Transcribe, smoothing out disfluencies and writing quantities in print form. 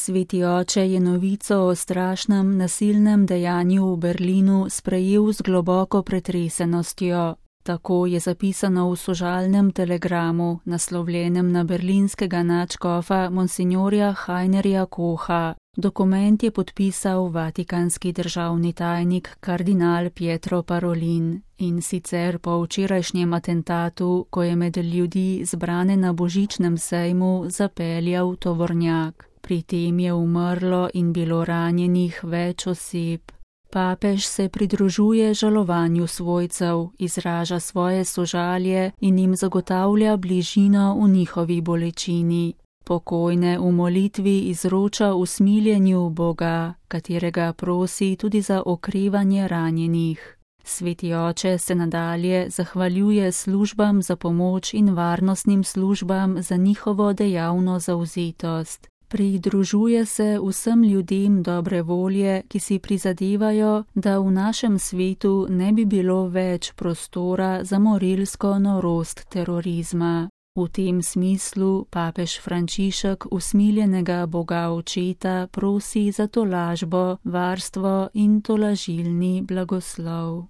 Sveti oče je novico o strašnem nasilnem dejanju v Berlinu sprejel z globoko pretresenostjo. Tako je zapisano v sožalnem telegramu, naslovljenem na berlinskega nadškofa monsignorja Heinerja Kocha. Dokument je podpisal vatikanski državni tajnik kardinal Pietro Parolin, in sicer po včerajšnjem atentatu, ko je med ljudi zbrane na božičnem sejmu zapeljal tovornjak. Pri tem je umrlo in bilo ranjenih več oseb. Papež se pridružuje žalovanju svojcev, izraža svoje sožalje in jim zagotavlja bližino v njihovi bolečini. Pokojne v molitvi izroča usmiljenju Boga, katerega prosi tudi za okrevanje ranjenih. Sveti oče se nadalje zahvaljuje službam za pomoč in varnostnim službam za njihovo dejavno zavzetost. Pridružuje se vsem ljudem dobre volje, ki si prizadevajo, da v našem svetu ne bi bilo več prostora za morilsko norost terorizma. V tem smislu papež Frančišek usmiljenega Boga Očeta prosi za tolažbo, varstvo in tolažilni blagoslov.